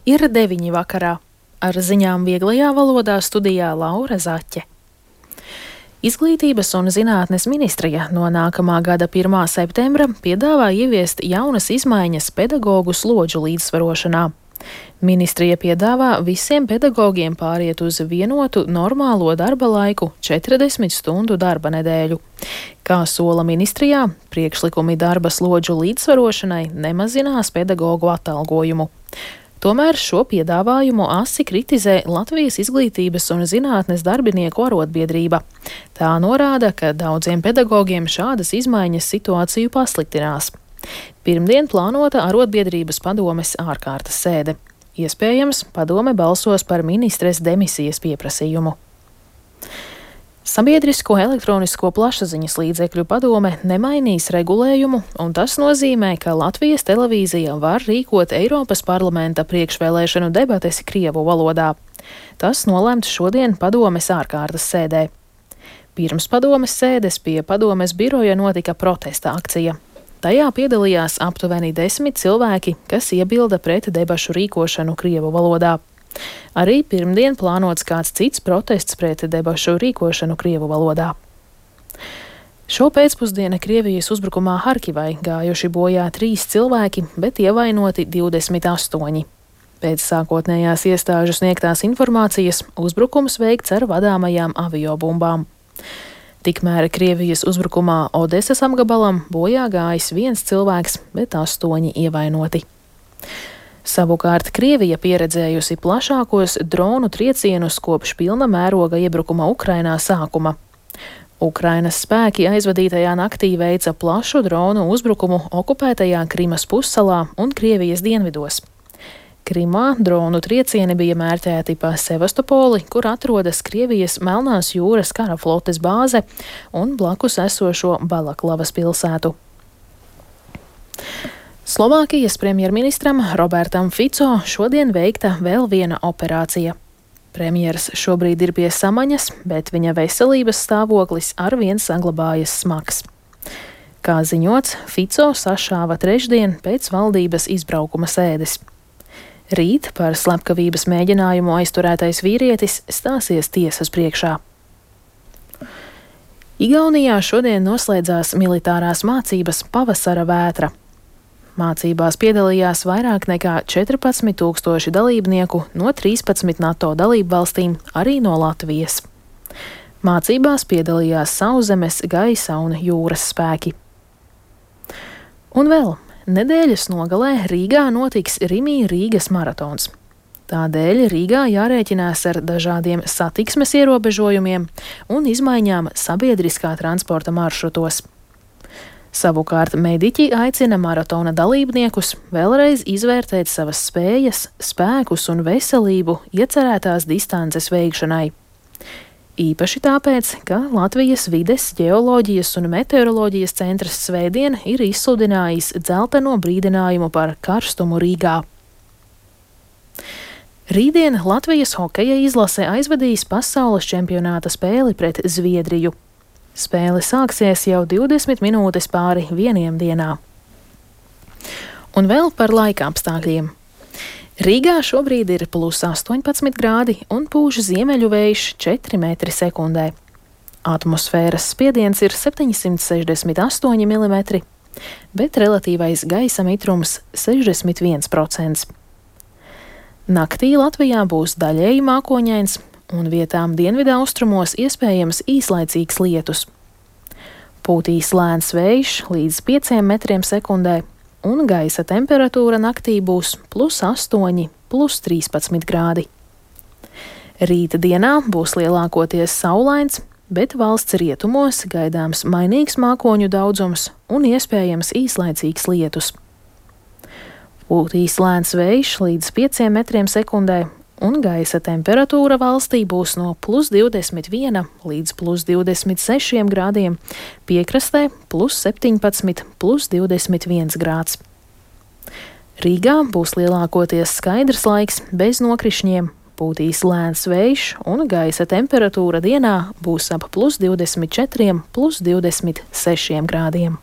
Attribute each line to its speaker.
Speaker 1: Ir 9 vakarā. Ar ziņām vieglajā valodā studijā Laura Zaķe. Izglītības un zinātnes ministrija no nākamā gada 1. septembra piedāvā ieviest jaunas izmaiņas pedagogu slodžu līdzsvarošanā. Ministrija piedāvā visiem pedagogiem pāriet uz vienotu normālo darba laiku 40 stundu darba nedēļu. Kā sola ministrijā, priekšlikumi darba slodžu līdzsvarošanai nemazinās pedagogu atalgojumu. Tomēr šo piedāvājumu asi kritizē Latvijas izglītības un zinātnes darbinieku arotbiedrība. Tā norāda, ka daudziem pedagogiem šādas izmaiņas situāciju pasliktinās. Pirmdien plānota arotbiedrības padomes ārkārtas sēde. Iespējams, padome balsos par ministres demisijas pieprasījumu. Sabiedrisko elektronisko plašsaziņas līdzekļu padome nemainīs regulējumu, un tas nozīmē, ka Latvijas televīzija var rīkot Eiropas parlamenta priekšvēlēšanu debates krievu valodā. Tas nolemts šodien padomes ārkārtas sēdē. Pirms padomes sēdes pie padomes biroja notika protesta akcija. Tajā piedalījās aptuveni 10 cilvēki, kas iebilda pret debašu rīkošanu krievu valodā. Arī pirmdien plānots kāds cits protests pret debašu rīkošanu krievu valodā. Šo pēcpusdienu Krievijas uzbrukumā Harkivai gājuši bojā 3 cilvēki, bet ievainoti 28. Pēc sākotnējās iestāžu sniegtās informācijas uzbrukums veikts ar vadāmajām aviobumbām. Tikmēr Krievijas uzbrukumā Odesas apgabalam bojā gājis 1 cilvēks, bet 8 ievainoti. Savukārt Krievija pieredzējusi plašākos dronu triecienus kopš pilna mēroga iebrukuma Ukrainā sākuma. Ukrainas spēki aizvadītajā naktī veica plašu dronu uzbrukumu okupētajā Krimas pussalā un Krievijas dienvidos. Krimā dronu triecieni bija mērķēti pa Sevastopoli, kur atrodas Krievijas Melnās jūras kara flotes bāze un blakus esošo Balaklavas pilsētu. Slovākijas premjerministram Robertam Fico šodien veikta vēl viena operācija. Premjers šobrīd ir pie samaņas, bet viņa veselības stāvoklis arvien saglabājas smags. Kā ziņots, Fico sašāva trešdien pēc valdības izbraukuma sēdes. Rīt par slepkavības mēģinājumu aizturētais vīrietis stāsies tiesas priekšā. Igaunijā šodien noslēdzās militārās mācības Pavasara vētra. Mācībās piedalījās vairāk nekā 14,000 dalībnieku no 13 NATO dalību valstīm, arī no Latvijas. Mācībās piedalījās sauszemes, gaisa un jūras spēki. Un vēl, nedēļas nogalē Rīgā notiks Rimi-Rīgas maratons. Tādēļ Rīgā jārēķinās ar dažādiem satiksmes ierobežojumiem un izmaiņām sabiedriskā transporta maršrutos. Savukārt mediķi aicina maratona dalībniekus vēlreiz izvērtēt savas spējas, spēkus un veselību iecerētās distances veikšanai. Īpaši tāpēc, ka Latvijas vides, ģeoloģijas un meteoroloģijas centrs svētdien ir izsludinājis dzelteno brīdinājumu par karstumu Rīgā. Rītdien Latvijas hokeja izlase aizvadīs pasaules čempionāta spēli pret Zviedriju. Spēle sāksies jau 20 minūtes pāri 1 dienā. Un vēl par laika apstākļiem. Rīgā šobrīd ir +18 grādi un pūš ziemeļu vējš 4 metri sekundē. Atmosfēras spiediens ir 768 mm, bet relatīvais gaisa mitrums 61%. Naktī Latvijā būs daļēji mākoņains, un vietām dienvidaustrumos iespējams īslaicīgs lietus. Pūtīs lēns vējš līdz 5 metriem sekundē, un gaisa temperatūra naktī būs +8, +13 grādi. Rīta dienā būs lielākoties saulains, bet valsts rietumos gaidāms mainīgs mākoņu daudzums un iespējams īslaicīgs lietus. Pūtīs lēns vējš līdz 5 metriem sekundē, un gaisa temperatūra valstī būs no +21 līdz +26 grādiem, piekrastē +17, +21 grāds. Rīgā būs lielākoties skaidrs laiks bez nokrišņiem, pūtīs lēns vējš un gaisa temperatūra dienā būs ap +24, +26 grādiem.